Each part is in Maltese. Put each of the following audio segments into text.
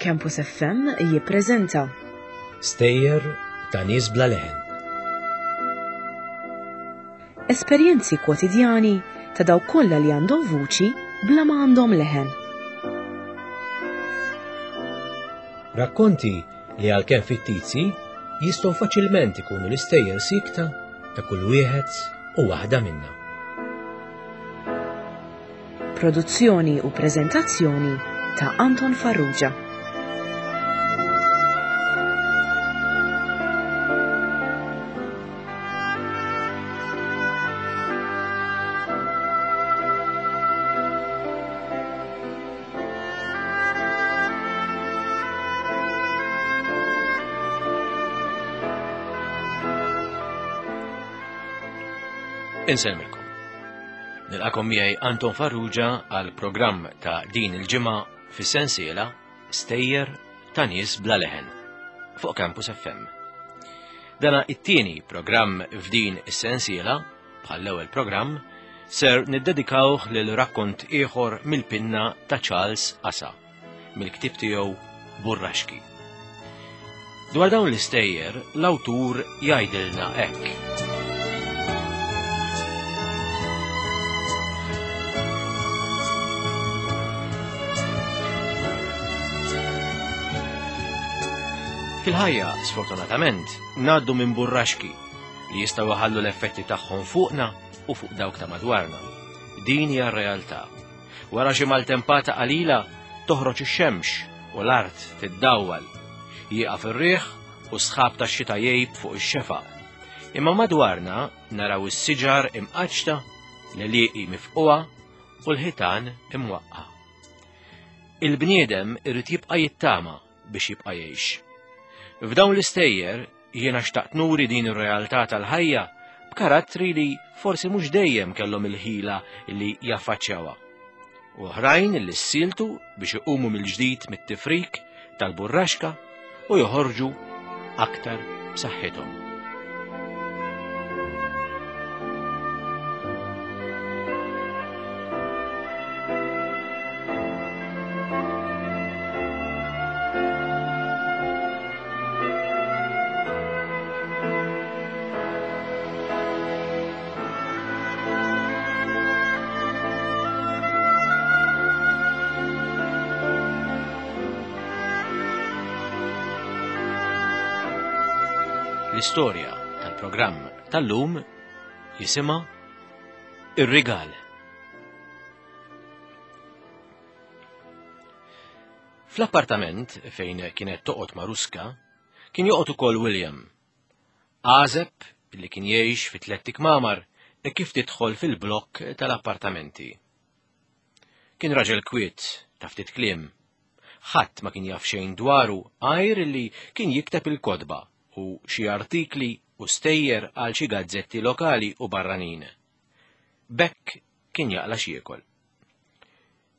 Campus FM jippreżenta Stejjer ta' nies bla leħen. Esperjenzi kwotidjani ta' dawk kollha li għandhom vuċi bla ma għandhom leħen. Rakkonti li għalkemm fittizji jistgħu faċilment ikunu l-istejjer sikta ta' kull wieħed u waħda minna. Produzzjoni u preżentazzjoni ta' Anton Farrugia. Insellmilkom. Nilqakom miegħi Anton Farrugia għal programm ta' din il-ġimgħa fis-sensiela Stejjer ta' nies bla leħen fuq Campus FM. Dana it-tieni programm f'din is-sensiela, bħal l-ewwel programm, ser niddedikawh lil rakkont ieħor mill-pinna ta' Charles Asa. mill-ktieb tiegħu Burraxki. Dwar dawn l-istejjer, l-awtur jgħidilna hekk. Fil-ħajja, sfortunatament, ngħaddu minn burraxki li jistgħu jħallu l-effetti tagħhom fuqna u fuq dawk ta' madwarna. Din hija r-realtà. Wara xi maltempata qalila toħroġ ix-xemx u l-art tiddawwal. Jieqaf ir-riħ u s-sħab tax-xita jgħib fuq ix-xefaq. Imma madwarna naraw is-siġar imqaċċta, l-għelieqi mifqugħa u l-ħitan imwaqqa'. Il-bniedem irid jibqa' jittama biex jibqa' jgħix. F'dawn l-istejjer jiena xtaqt nuri din ir-realtà tal-ħajja b'karattri li forsi mhux dejjem kellhom il-ħila li jaffaċċjawha. U oħrajn li ssiltu biex iqumu mill-ġdid mit-tifrik tal-burraxka u joħorġu aktar b'saħħithom. L-istorja tal-programm tal-lum jisimha Ir-Rigal. Fl-appartament fejn kienet toqgħod Maruska kien joqgħod ukoll William. Għażeb li kien jgħix fi tlett ikmamar e kif tidħol fil-blokk tal-appartamenti. Kien raġel kwiet ta' ftit kliem. Ħadd ma kien jaf xejn dwaru għajr li kien jikteb il-kotba u xi artikli u stejjer għal xi gazzetti lokali u barranin. B'hekk kien jaqla' x'jiekol.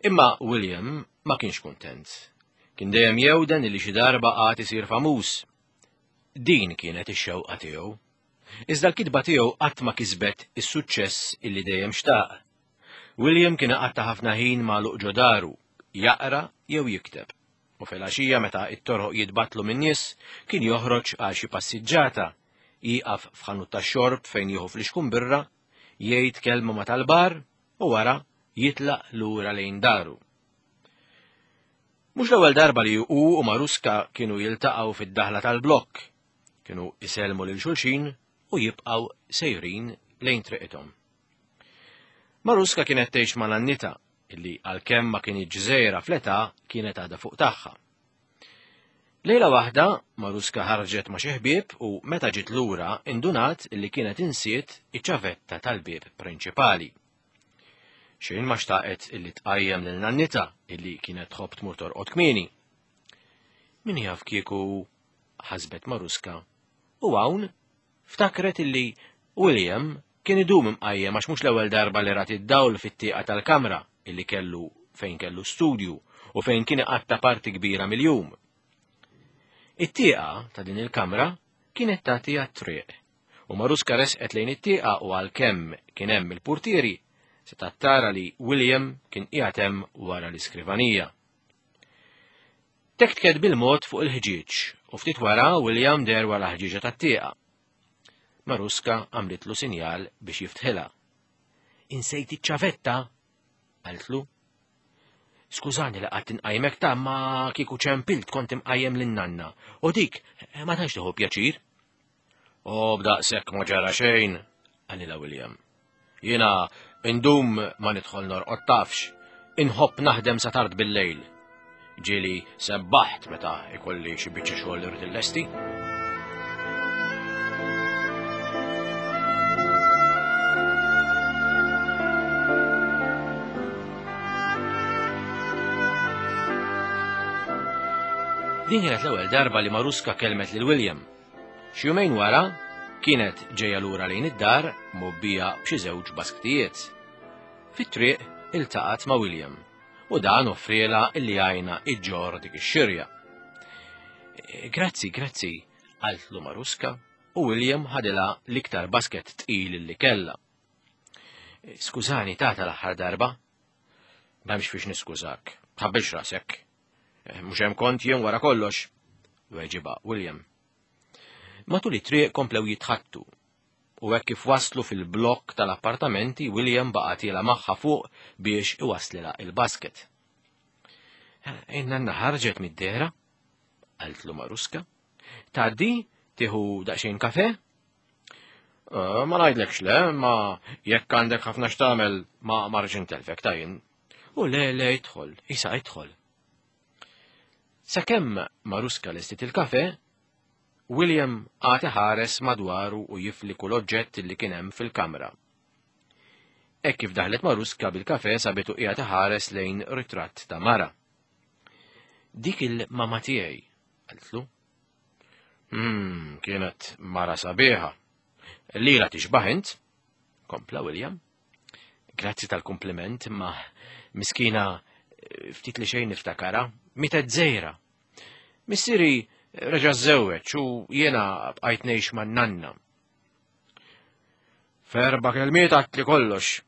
Imma William ma kienx kuntent. Kien dejjem jewden li xi darba għad isir famuż. Din kienet ix-xewqa tiegħu. Iżda l-kitba tiegħu qatt ma kisbet is-suċċess illi dejjem xtaq. William kien iqatta' ħafna ħin magħluq ġo daru, jaqra jew jikteb. U filgħaxija meta t-toroq jitbattlu min-nies, kien joħroġ għal xi passiġġata, jieqaf f'ħanut tax-xorb fejn jieħu flixkun birra, jgħid kelma ma' tal-bar u wara jitlaq lura lejn daru. Mhux l-ewwel darba li hu u Maruska kienu jiltaqgħu fid-daħla tal-blokk. Kienu isellmu lil xulxin u jibqgħu sejrin lejn triqithom. Maruska kienet tgħix ma' nannitha illi għalkemm ma kinitx żgħira fl-età kienet għadha fuq tagħha. Lejla waħda, Maruska ħarġet ma' xi ħbieb u meta ġiet lura indunat illi kienet insiet iċ-ċavetta tal-bieb prinċipali. Xejn ma xtaqet illi tqajjem lil nannitha illi kienet tħobb tmur torqod kmieni. Min jaf kieku ħasbet Maruska u hawn ftakret illi William kien idum imqajjem għax mhux l-ewwel darba li rat id-dawl fit-tieqa tal-kamra illi kellu fejn kellu studju u fejn kien iqatta' parti kbira mill-jum. It-tieqa ta' din il-kamra kienet tagħti għat-triq u Maruska resqet lejn it-tieqa u għalkemm kien hemm il-purtieri setgħet tara li William kien qiegħed hemm wara l-iskrivanija. Tektket bil-mod fuq il-ħġieġ u ftit wara William der wara ħġieġa tat-tieqa. Maruska għamlitlu sinjal biex jiftħilha. Insejt iċ-ċavetta, qaltlu. Skużani li qatt inqajmek ta' ma kieku ċempilt kont imqajjem lin-nanna u dik ma tantx tieħu pjaċir. O b'daqshekk ma ġara xejn, qalilha William. Jiena indum ma nidħol norqod tafx, inħobb naħdem sa tard bil-lejl. Ġieli sebbaħt meta ikolli xi biċċa xogħol li rrid illesti. Din kienet l-ewwel darba li Maruska kelmet lil William. Xi jumejn wara, kienet ġejja lura lejn id-dar mgħobbija b'xi żewġ basktijiet. Fit-triq iltaqgħet ma' William u dan offrielha illi jgħinha iġġorr dik ix-xirja. Grazzi, grazzi, qaltlu Maruska u William ħadilha l-iktar basket tqil li kellha. Skużani tata l-aħħar darba. M'hemmx fiex niskużak, tħabbilx rasek. Eh, mhux hemm kont jien wara kollox, weġiba William. Matul it-triq komplew jitħattu u hekk kif waslu fil-blokk tal-appartamenti William baqa' tiela magħha fuq biex iwaslilha il-basket. Eh, in-nanna ħarġet mid-dehra, qaltlu Maruska. Tgħaddi tieħu daqsxejn kafe? Eh, ma ngħidlekx le, ma jekk għandek ħafna x'tagħmel ma marġin telfek tajjin. U le le idħol, isa idħol. Sakemm Maruska lestit il-kafe, William għad iħares madwaru u jifli kull oġġett li kien hemm fil-kamra. Hekk kif daħlet Maruska bil-kafe sabitu qiegħed iħares lejn ritratt ta' mara. Dik il-mama tiegħi, qaltlu. Hmm, kienet mara sabiħa. Lila tixbaħ int, kompla William. Grazzi tal-kompliment, ma miskina ftit li xejn niftakara, mietet żejra. Missieri reġa' żewweġ u jiena bqajt ngħix man-nanna. Ferba kelmiet għatli kollox,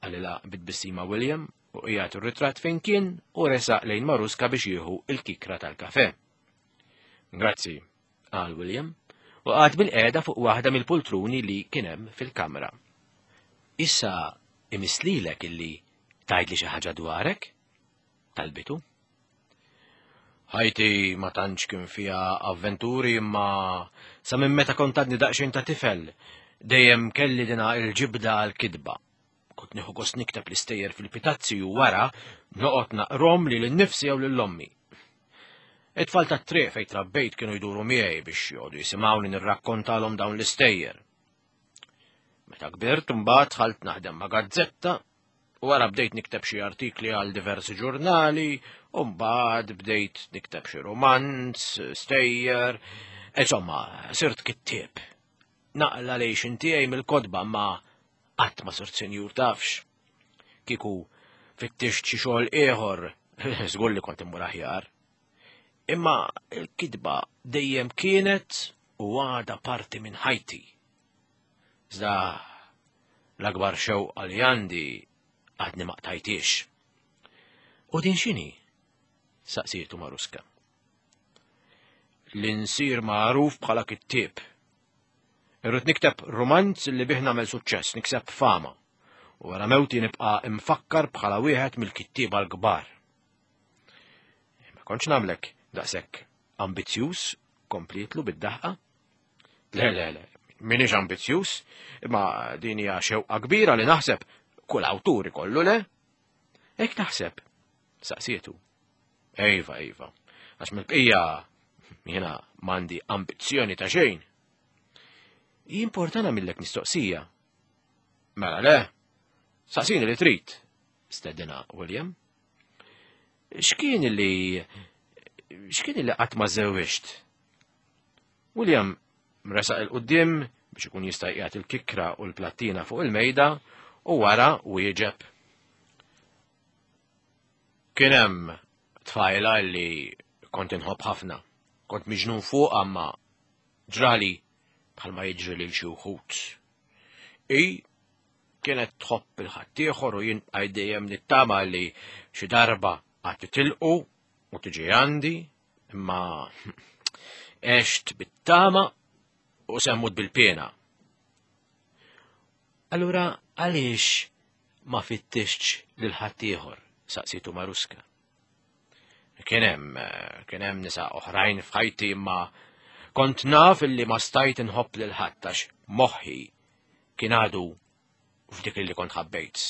qalilha bit-tbissima William u qiegħed ir-ritratt fejn kien u resaq lejn Maruska biex jieħu il-kikra tal-kafe. Grazzi, qal William, u qagħad bil-qiegħda fuq waħda mill-pultruni li kien hemm fil-kamra. Issa imislilek illi tgħidli xi ħaġa dwarek? Talbitu. Ħajti ma tantx kien fiha avventuri imma sa minn meta kont għadni daqsxejn ta' tifel dejjem kelli dina il-ġibda għal-kitba. Kont nieħu gost nikteb l-istejjer fil-pitazzi u wara noqgħod naqrom lil innifsi jew lil ommi. It-tfal tat-triq fejn trabbejt kienu jduru miegħi biex joqogħdu jisimgħuni nirrakkontalhom dawn l-istejjer. Meta kbirt imbagħad dħalt naħdem ma' gazzetta u wara bdejt nikteb xi artikli għal diversi ġurnali u mbagħad bdejt nikteb xi romanz, stejjer, insomma, sirt kittieb. Naqla lejxin tiegħi mill-kotba ma Qatt ma sirt sinjur tafx. Kieku fittixt xi xogħol ieħor, żgur li kont immur aħjar. Imma l-kitba dejjem kienet u għadha parti minn ħajti. Iżda l-akbar xewqa li għandi għadni ma qtajtix. U din x'inhi? Saqsietu Maruska. Li nsir magħruf bħala kittieb. Irrid nikteb rumanz li bih nagħmel suċċess, nikseb fama. U wara mewti nibqa' imfakkar bħala wieħed mill-kittieba l-kbar. Ma kontx nagħmlek daqshekk ambizzjuż, komplietlu bid-daħqa. Le, le, le, minix ambizzjuż, imma din hija xewqa kbira li naħseb kull awtur ikollu le. Hekk taħseb, saqsietu. Ejva, ejva, għax mill-bqija jiena m'għandi ambizzjoni ta' xejn. Jimportana millek mistoqsija. Mela le, saqsini li trid, stedina William. X'kien li x'kien li qatt ma żewwiġt? William resaq il-qudiem biex ikun jista' jqiegħed il-kikra u l-plattina fuq il-mejda u wara wieġeb. Kien hemm tfajla li kont inħobb ħafna. Kont miġnun fuqha ma ġrali bħalma jiġri lil xi wħud. I kienet tħobb il-ħaddieħor u jien bqajt dejjem nittama li xi darba għad titilqu u tiġi għandi. Imma għext bit-tama u semmut bil-pena. Allura għaliex ma fittixx lil ħaddieħor? saqsitu Maruska. Kien hemm kien hemm nisa oħrajn f'ħajti imma kont naf illi ma stajt inħobb lil ħadd għax moħħi kien għadu f'dik li kont ħabbejt.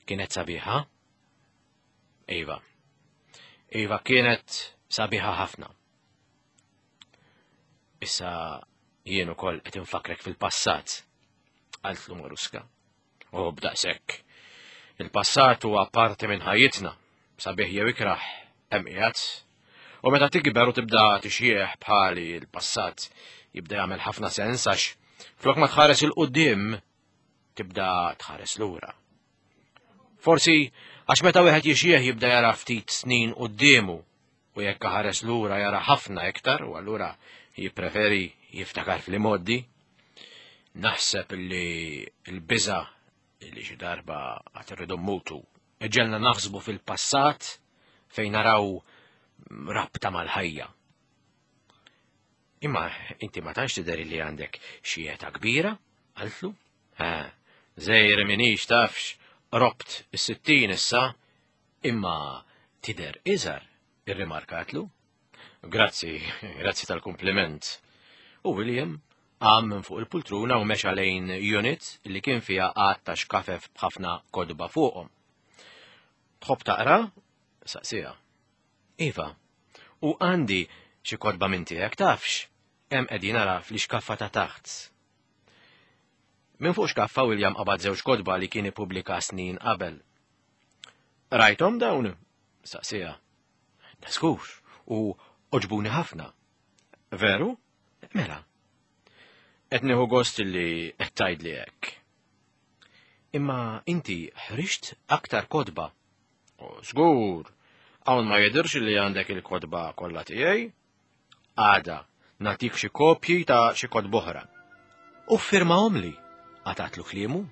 Kienet sabiħa? Iva. Iva kienet sabiħa ħafna. Issa jien ukoll qed infakrek fil-passat, qaltlu Maruska. U b'daqshekk. Il-passat huwa parti minn ħajjitna, sabiħ jew ikrah, hemm qiegħed. U meta tikber u tibda tixjieħ bħali l-passat jibda jagħmel ħafna sens għax flok ma tħares il-qudiem tibda tħares lura. Forsi għax meta wieħed jixjieħ jibda jara ftit snin quddiemu u jekk ħares lura jara ħafna iktar u allura jippreferi jiftakar fl-imgħoddi. Naħseb li l-biża li xi darba għad irridu mmutu iġġelna naħsbu fil-passat fejn naraw rabta mal-ħajja. Imma inti ma tantx tidher li għandek xi età kbira, qaltlu. Ha, żejr minix tafx, robt is-60 issa, imma tidher iżgħar, irrimarkatlu. Grazzi, grazzi tal-kumpliment. U William qam minn fuq il-pultruna u mexa lejn unit li kien fiha għadd ta' xkafef b'ħafna kotba fuqhom. Tħobb taqra? Saqsiha. Iva, u għandi xi kotba minn tiegħek tafx, hemm qegħdin ara fl-ixkaffa ta' taħt. Minn fuq xkaffa William qabad żewġ kotba li kien ippubblika snin qabel. Rajthom dawn? Saqsiha. Daskur, u oġbuni ħafna. Veru? Mela. Qed nieħu gost li qed tgħidli hekk. Imma inti ħriġt aktar kotba. Żgur, hawn ma jidhirx li għandek il-kotba kollha tiegħi. Għada, nagħtik xi kopji ta' xi kotba oħra. U ffirmahomli, qatgħatlu kliemu.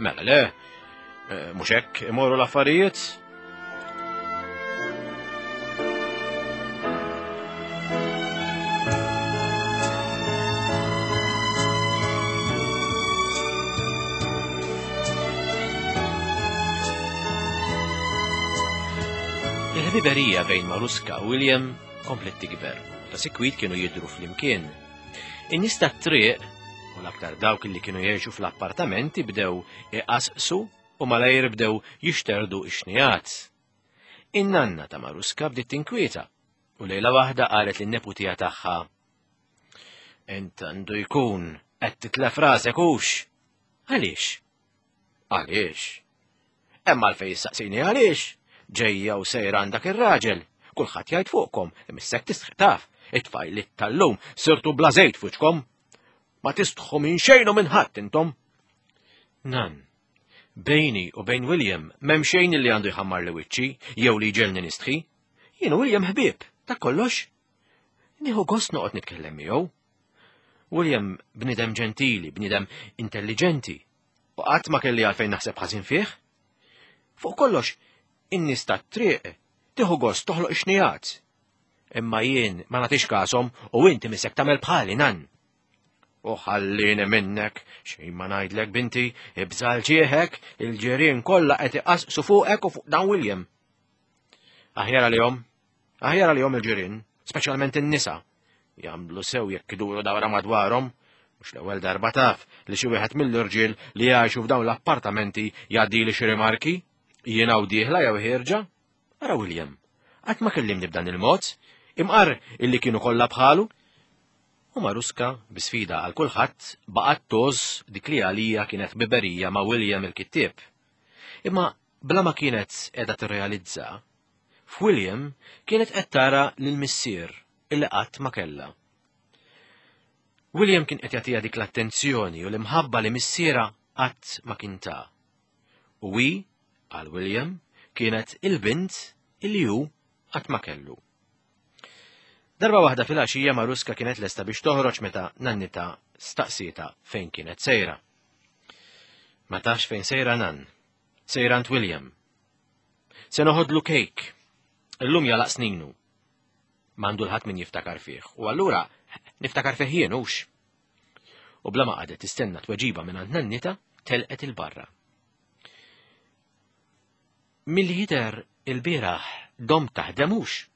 Mela le, eh, mhux hekk imorru l-affarijiet. Il-ħbiberija bejn Maruska u William komplet tikber, ta' sikwit kienu jidru flimkien. In-nies tat-triq, u l-aktar dawk li kienu jgħixu fl-appartamenti bdew iqasqsu u malajr bdew jixterdu ix-xnigħat. In-nanna ta' Maruska bdiet tinkwieta u lejla waħda qalet lin-neputija tagħha Int għandu jkun qed titlef rasek hux. Għaliex? Għaliex? Hemm għalfejn issaqsini għaliex? Ġejja u sejra għand dak ir-raġel. Kulħadd jgħid fuqkom, imissek tistħi taf. It-tfajliet tal-lum sirtu bla żejt f'wiċċkom. Ma tistħu minn xejn u minn ħadd intom. Nan, bejni u bejn William m'hemm xejn li għandu jħammar li wiċċi jew li jġelni nistħi. Jien u William ħbieb, ta' kollox. Nieħu gost noqgħod nitkellem miegħu. William bniedem ġentili, bniedem intelligenti, u qatt ma kelli għalfejn naħseb ħażin fih. Fuq kollox, in-nies tat-triq tieħu gost toħloq ix-xnijat. Imma jien ma nagħtix kasom u inti misek tagħmel bħali nan. U ħallini minnek, xejn ma ngħidlek binti, ibżal ġieħek, il-ġirien kollha qed iqasqsu fuqek u fuq dan William. Aħjar għalihom, aħjar għalihom il-ġirien, speċjalment in-nisa. Jagħmlu sew jekk iduru dawra madwarhom, mhux l-ewwel darba taf li xi wieħed mill-irġiel li jgħixu f'dawn l-appartamenti jgħaddili xi rimarki, jiena u dieħla jew ħierġa. Ara William, qatt ma kellimni b'dan il-mod, imqar illi kienu kollha bħalu. U Maruska, bi sfida għal kulħadd, baqgħet tgħożż dik li għalija kienet ħbiberija ma' William il-kittieb. Imma bla ma kienet qiegħda tirrealizza, f'William kienet qed tara lil missier illi qatt ma kellha. William kien qed jagħtiha dik l-attenzjoni u l-imħabba li missierha qatt ma kien ta. U hi, għal William, kienet il-bint illi hu qatt ma kellu. Darba waħda fil-għaxija Maruska kienet lesta biex toħroġ meta nannita staqsieta fejn kienet sejra. Ma tafx fejn sejra nan. Sejra għand William. Se noħodlu kejk. Illum jalaq sninu. M'għandu l-ħadd min jiftakar fih, u allura niftakar fih jien hux. U bla ma qagħdet tistenna tweġiba minn għand nannita, telqet il-barra. Milli jidher ilbieraħ domt taħdem hux?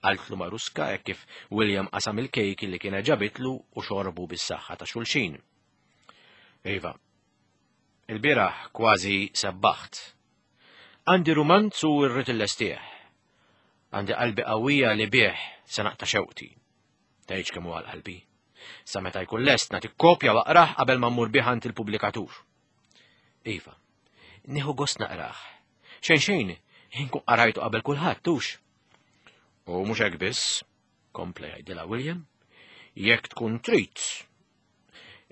qaltlu Maruska hekk kif William qasam il-kejk li kienet ġabitlu u xorbu bis-saħħa ta' xulxin. Iva, ilbieraħ kważi sebbaħt. Għandi rumanz u rrid illestih. Għandi qalbi qawwija li bih se naqta' xewqti. Tgħidx kemm hu għal qalbi. Sa meta jkun lest nagħti kopja waqrah qabel ma mmur bih għand il-pubblikatur. Iva, Nieħu gost naqrah. Xejn xejn, inkun qarajtu qabel kulħadd tux. U mhux hekk biss, kompla jgħidilha William, jekk tkun trid,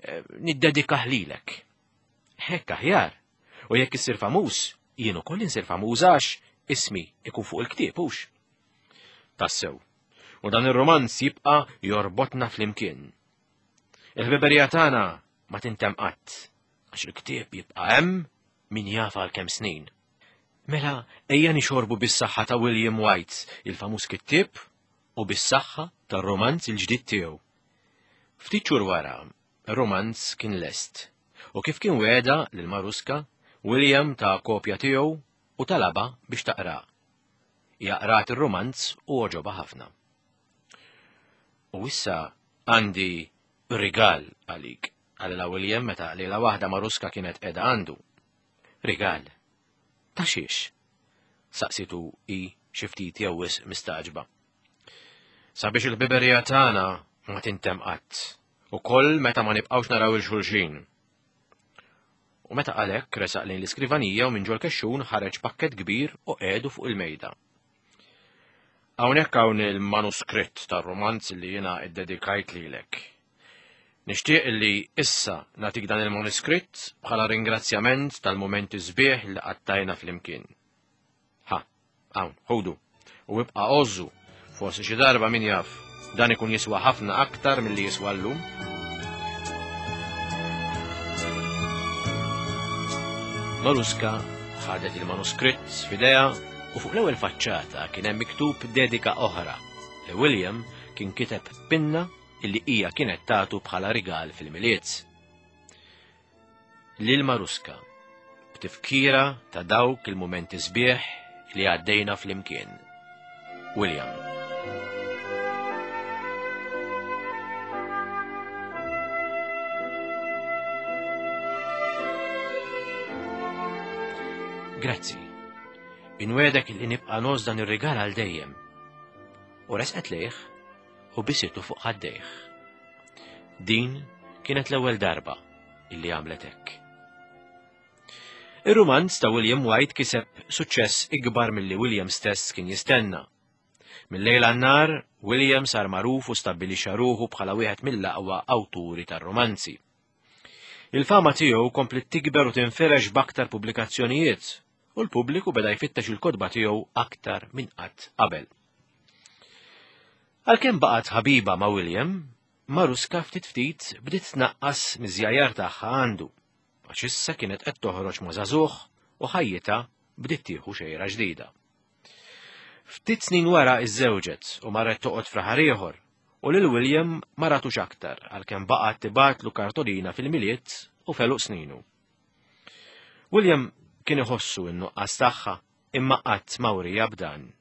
eh, niddedikah lilek. Hekk aħjar. U jekk issir famuż, jien ukoll insir famuż għax ismi ikun fuq il-ktieb hux. Tassew. U dan ir-romanz jibqa' jorbotna flimkien. Il-ħbiberija tagħna ma tintem qatt. Għax il-ktieb jibqa' hemm min jaf għal kemm snin. Mela ejja nixorbu bis-saħħa ta' William White, il-famuż kittieb, u bis-saħħa tar-romanz il-ġdid tiegħu. Ftit xhur wara, ir-romanz kien lest, u kif kien wegħda lil Maruska, William ta kopja tiegħu u talabha biex taqra. Hija qrat ir-romanz u għoġobha ħafna. U issa għandi rigal għalik, qalilha William meta lejla waħda Maruska kienet qiegħda għandu. Rigal? Ta' xiex? Saqsitu hi xi ftit jew wisq mistagħġba. Sabiex il-ħbiberija tagħna ma tintemm qatt, ukoll meta ma nibqgħux naraw il xulxin. U meta qal hekk resaq lejn l-iskrivanija u minn ġol-kexxun ħareġ pakkett kbir u qiegħdu fuq il-mejda. Hawnhekk hawn il-manuskritt tar-rumanz li jiena ddedikajt lilek. Nixtieq li issa nagħtik dan il-manuskritt bħala ringrazzjament tal-mumenti sbieħ li qattajna flimkien. Ha, hawn, ħudu, u ibqa' għożżu, forsi xi darba min jaf, dan ikun jiswa ħafna aktar milli jiswa llum. Maruska ħadet il-manuskritt f'idejha u fuq l-ewwel faċċata kien hemm miktub dedika oħra li William kien kiteb pinna illi hija kienet tagħtu bħala rigal fil-Milied. Lil Maruska, b'tifkira ta' dawk il-mumenti sbieħ li għaddejna flimkien. William. Grazzi. Inwedek li nibqa' nos dan ir-rigal għal dejjem. U resqet lejh u bisitu fuq ħaddejh. Din kienet l-ewwel darba illi għamlet hekk. Ir-rumanz ta' William White kiseb suċċess ikbar milli William stess kien jistenna. Mill-lejl għan-nar, William sar magħruf u stabbilixxa ruħu bħala wieħed mill-aqwa awturi tar-romanzi. Il-fama tiegħu kompliet tikber u tinfirex b'aktar pubblikazzjonijiet u l-pubbliku beda jfittex il-kotba tiegħu aktar minn qatt qabel. Għalkemm baqgħet ħabiba ma' William, Maruska ftit ftit bdiet tnaqqas miż-żjajjar tagħha għandu, għax issa kienet qed toħroġ ma' żagħżugħ u ħajjitha bdiet tieħu xejra ġdida. Ftit snin wara iżżewġet u marret toqgħod f'raħal ieħor u lil William ma ratux aktar għalkemm baqgħet tibgħatlu kartolina fil-Milied u f'għeluq sninu. William kien iħossu n-nuqqas tagħha imma qatt ma wriha b'dan.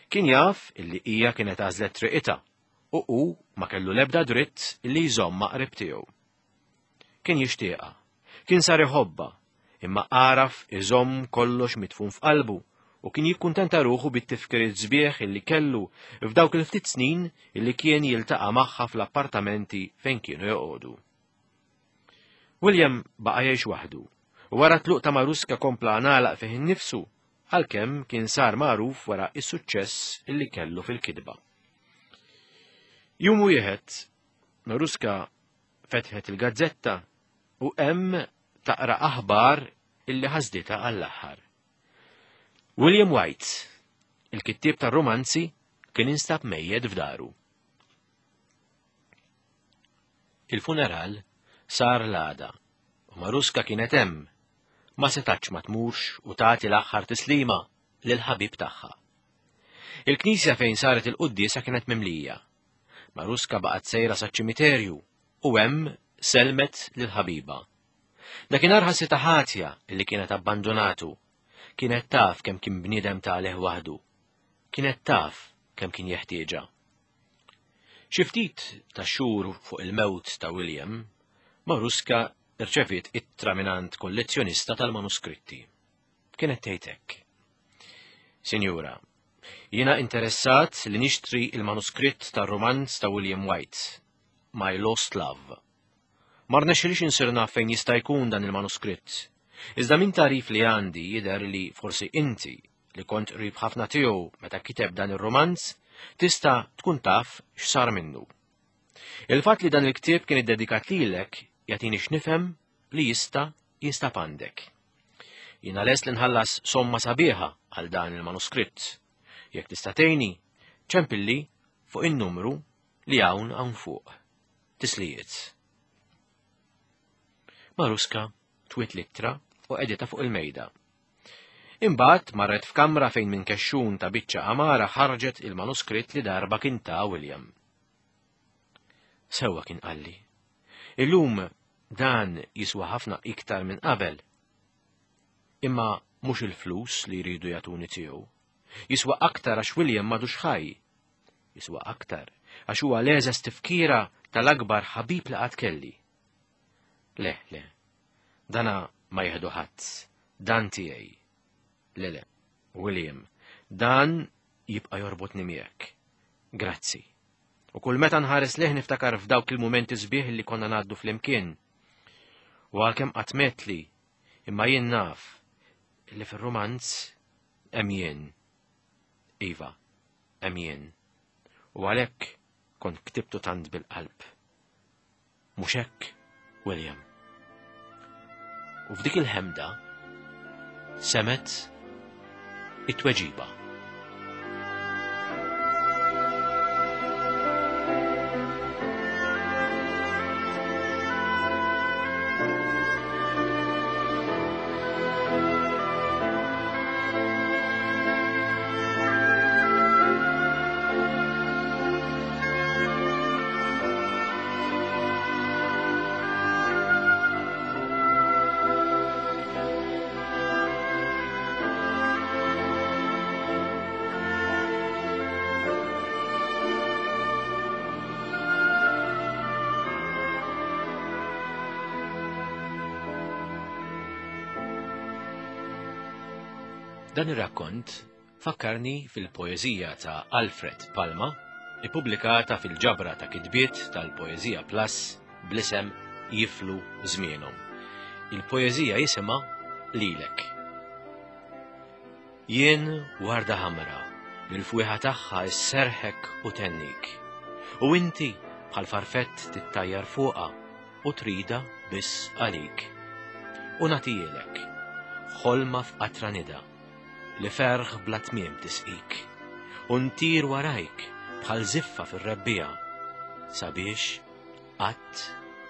Kien jaf illi hija kienet għażlet triqitha u hu ma kellu l-ebda dritt illi jżommha qrib tiegħu. Kien jixtieqha, kien sar iħobbha, imma għaraf iżomm kollox midfun f'qalbu u kien jikkuntenta ruħu bit-tifkiriet sbieħ illi kellu f'dawk il-ftit snin illi kien jiltaqa' magħha fl-appartamenti fejn kienu joqogħdu. William baqa' jgħix waħdu u wara t-tluq ta' Maruska kompla ngħalaq fih innifsu għalkemm kien sar magħruf wara s-suċċess li kellu fil-kitba. Jum wieħed, Maruska fetħet il-gazzetta u hemm taqra aħbar illi ħasditha għall-aħħar. William White, il-kittieb tar-romanzi, kien instab mejjed f'daru. Il-funeral sar l-għada u Maruska kienet hemm ma setatx ma tmurx u tagħti l-aħħar tislima lill-ħabib tagħha. Il-knisja fejn saret il-quddiesa kienet mimlija. Maruska baqgħet sejra saċ-ċimiterju u hemm selmet lil ħabiba. Dakinhar ħassitha ħatja li kienet abbandunatu. Kienet taf kemm kien bniedem taleh waħdu. Kienet taf kemm kien jeħtieġha. Xi ftit ta' xhur fuq il-mewt ta' William, Maruska rċeviet ittra mingħand kollezzjonista tal-manuskritti. Kienet tgħid hekk. Sinjura, jiena interessat li nixtri il-manuskritt tar-rumanz ta' William White, My Lost Love. Ma rnexxilix insir naf fejn jista' jkun dan il-manuskritt. Iżda minn tagħrif li għandi jidher li forsi inti, li kont qrib ħafna tiegħu meta kiteb dan ir-rumanz, tista' tkun taf x'sar minnu. Il-fatt li dan il-ktieb kien iddedikat lilek jagħtini x'nifhem li jista' jinstab għandek. Jiena lest li nħallas somma sabiħa għal dan il-manuskritt. Jekk tista' tgħinni, ċempilli fuq in-numru li hawn hawn fuq. Tislijiet. Maruska twiet l-ittra u qegħditha fuq il-mejda. Imbagħad marret f'kamra fejn minn kexxun ta' biċċa għamara ħarġet il-manuskritt li darba kien ta' William. Sewwa kien qalli. Illum dan jiswa ħafna iktar minn qabel. Imma mhux il-flus li jridu jagħtuni tiegħu. Jiswa aktar għax William m'għadux ħaj. Jiswa aktar għax huwa l-eżes tifkira tal-akbar ħabib li qatt kelli. Le, le, dana ma jieħdu ħadd, dan tiegħi. Le, le, William, dan jibqa' jorbotni miegħek. Grazzi. U kull meta nħares leh niftakar f'dawk il-mumenti sbieħ li konna ngħaddu flimkien. U għalkemm qatt metli, imma jien naf li fir-rumanz hemm jien. Iva, hemm jien. U għalhekk kont ktibtu tant bil-qalb. Mhux hekk, William? U f'dik il-ħemda semet it-tweġiba. Dan ir-rakkont fakkarni fil-poeżija ta' Alfred Palma, ippubblikata fil-ġabra ta' kitbiet tal-Poeżija Plus bl-isem Jiflu Żmienhom. Il-poeżija jisimha Lilek. Jien warda ħamra li l-fwieħa tagħha sserħek u thennik. U inti bħal farfett tittajjar fuqha u tridha biss għalik. U nagħtihielek, ħolma f'qatra nida, li ferħ bla tmiem tisqik, u ntir warajk bħal żiffa fir-rebbiegħa, sabiex qatt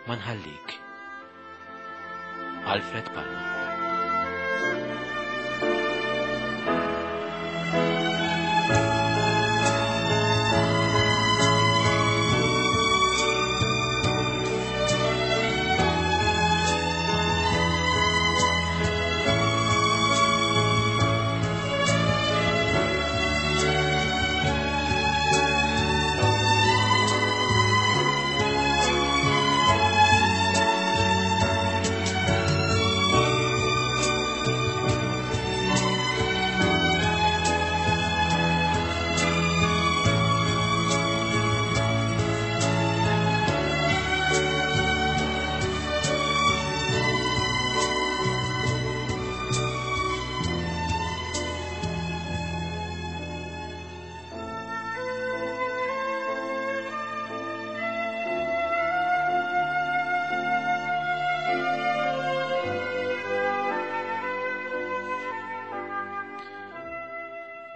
ma nħallik. Alfred Palma.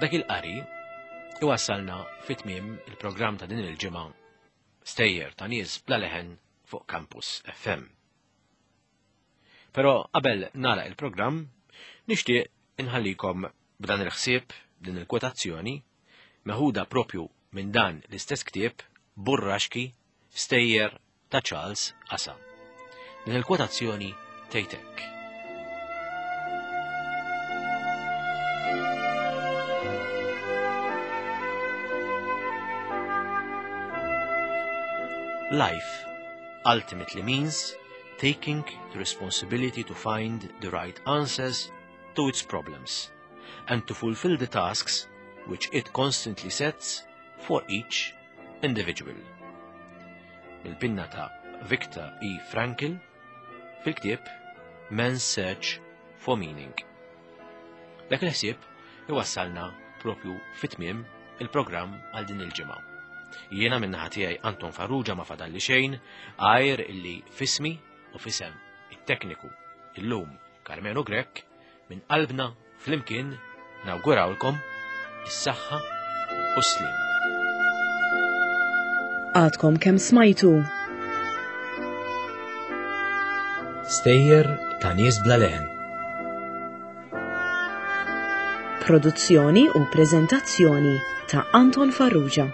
Dak il-qari iwassalna fit-tmiem il-programm ta' din il-ġimgħa stejjer ta' nies bla leħen fuq Campus FM. Però qabel nagħlaq il-programm, nixtieq inħallikom b'dan il-ħsieb, din il-kwotazzjoni. meħuda propju minn dan l-istess ktieb Burraxki Stejjer ta' Charles Asa. Din il-kwotazzjoni tgħid hekk. Life ultimately means taking the responsibility to find the right answers to its problems and to fulfill the tasks which it constantly sets for each individual. Mill-pinna ta' Viktor E. Frankl fil-ktieb Man's Search for Meaning. Dak il-ħsieb iwassalna propju fit-tmiem il-programm għal din il-ġimgħa. Jiena min-naħa tiegħi Anton Farrugia ma fadalli xejn għajr illi fismi u fisem it-tekniku illum Karmenu Grech minn qalbna flimkien nawgurawlkom is-saħħa u s-sliem. Għadkom kemm smajtu. Stejjer ta' nies bla leħen. Produzzjoni u preżentazzjoni ta' Anton Farrugia.